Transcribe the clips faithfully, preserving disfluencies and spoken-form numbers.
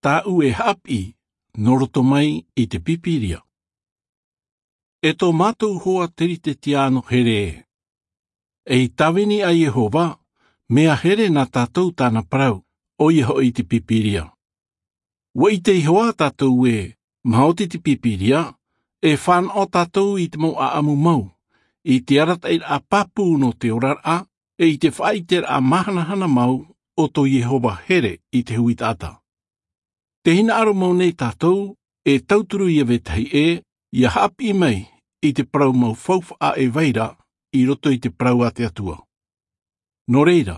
Tāʻu e haʻapiʻi nō roto mai i te pīpīria. E tō mātou hoa teritetiāno here ē, ei tāvini a iehova, mea here nā tātou tāna parau, ʻoia hoʻi te pīpīria. Ua ʻite iho ā tātou ē, maoti te pīpīria, e fānaʻo tātou i te mau ʻaʻamu mau, i te arataʻiraʻa pāpū nō te oraraʻa, e i te faʻaʻiteraʻa māhanahana mau o tō iehova here i te huitaʻata. Te hinaʻaro mau nei tātou, e tauturu ia vetahi ʻē, ia haʻapiʻi mai i te parau mau faufaʻa e vai ra i roto i te parau a te atua. Nō reira,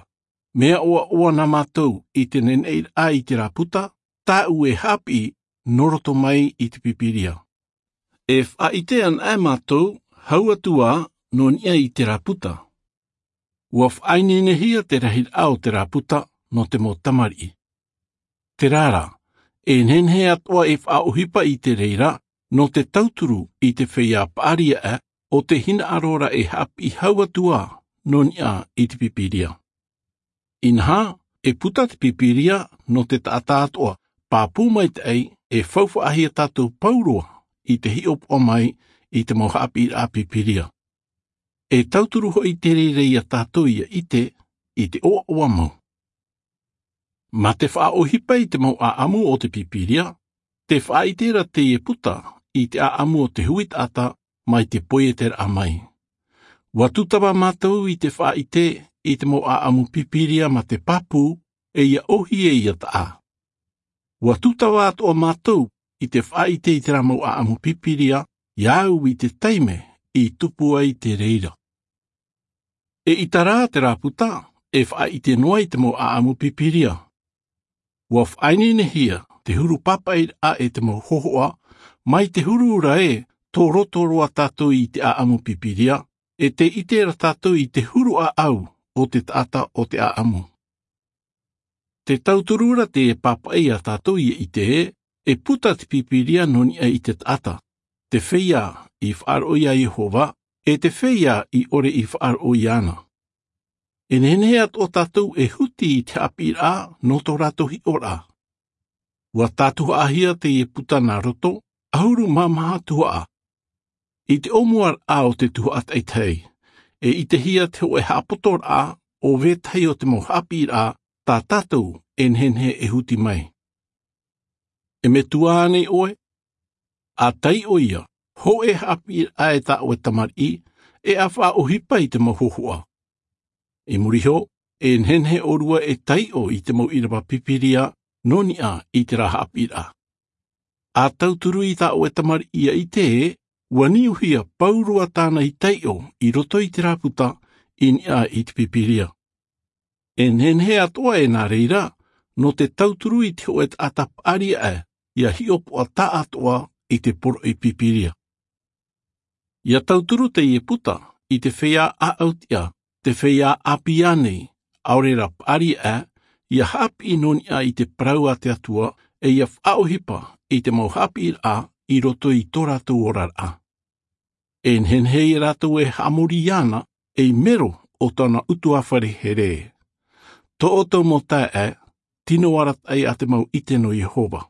mea ʻoaʻoa nā mātou i te neneʻiraʻa i terā puta, tāʻu e haʻapiʻi nō roto mai i te pīpīria. E faʻaʻite ana ʻe mātou, hau atu ā, nō niʻa i terā puta. Ua faʻaineinehia te rahiraʻa o terā puta nō te mau tamariʻi. Terā rā, e nehenehe atoʻa e faʻaʻohipa i te reira nō te tauturu i te feiā paʻari aʻe o te hinaʻaro ra e haʻapiʻi hau atu ā nō niʻa i te pīpīria. Inaha, e puta te pīpīria nō te taʻata atoʻa pāpū maitaʻi, e faufaʻahia tātou pauroa i te hiʻopoʻa mai i te mau haʻapiʻiraʻa pīpīria. E tauturu hoʻi te reira ia tātou ia ʻite i te ʻoaʻoa mau. Mā te faʻaʻohipa i te mau ʻaʻamu o te pīpīria, te faʻaʻite ra teie puta i te ʻaʻamu o te huitaʻata mai te poieteraʻa mai. Ua tūtava mātou i te faʻaʻite i te mau ʻaʻamu pīpīria mā te pāpū, e ia ʻōhie ia taʻa. Ua tūtava atoʻa mātou i te faʻaʻite i terā mau ʻaʻamu pīpīria, ia au i te taime i tupu ai te reira. E ʻita rā terā puta, e faʻaʻite noa i te mau ʻaʻamu pīpīria. Ua faʻaineinehia te huru pāpaʻiraʻa e te mau hōhoʻa, mai te huru ra ē, tō roto roa tātou i te ʻaʻamu pīpīria, e te ʻite ra tātou i te huru ʻāʻau o te taʻata o te ʻaʻamu. Te tauturu ra te pāpaʻi a tātou ia ʻite ē, e puta te pīpīria nō niʻa i te taʻata, te feiā i faʻaroʻo ia iehova, e te feiā i ʻore i faʻaroʻo iāna. E nehenehe atoʻa tātou e huti i te haʻapiʻiraʻa nō tō rātou hiʻoraʻa. Ua tātuhaʻahia teie puta nā roto, ʻahuru mā maha tuhaʻa. I te ʻōmuaraʻa o te tuhaʻa taʻitahi, e ʻitehia te hōʻē haʻapotoraʻa o vetahi o te mau haʻapiʻiraʻa tā tātou e nehenehe e huti mai. E metua ānei ʻoe? ʻA taiʻo ia, hōʻē haʻapiʻiraʻa e tā ʻoe tamariʻi, e ʻa faʻaʻohipa i te mau hōhoʻa. I muri iho, e nehenehe ʻōrua e taiʻo i te mau ʻīrava pīpīria nō niʻa i terā haʻapiʻiraʻa. ʻA tauturu i tā ʻoe tamariʻi ia ʻite ē, ua niuhia pauroa tāna i taiʻo i roto i terā puta i niʻa i te pīpīria. E nehenehe atoʻa ē nā reira, nō te tauturu i te hōʻē taʻata paʻari aʻe, ia hiʻopoʻa taʻatoʻa i te poroʻi pīpīria. Ia tauturu teie puta i te feiā ʻāʻau tiʻa, te feiā ʻāpī ānei, ʻaore rā paʻari aʻe, ia haʻapiʻi nō niʻa i te parau a te atua, e ia faʻaʻohipa i te mau haʻapiʻiraʻa i roto i tō rātou oraraʻa. E nehenehe ia rātou e haʻamori iāna, ei mero o tōna ʻutuāfare here. Tō ʻoutou mau taeaʻe, tino arataʻi ā te mau ʻite nō iehova.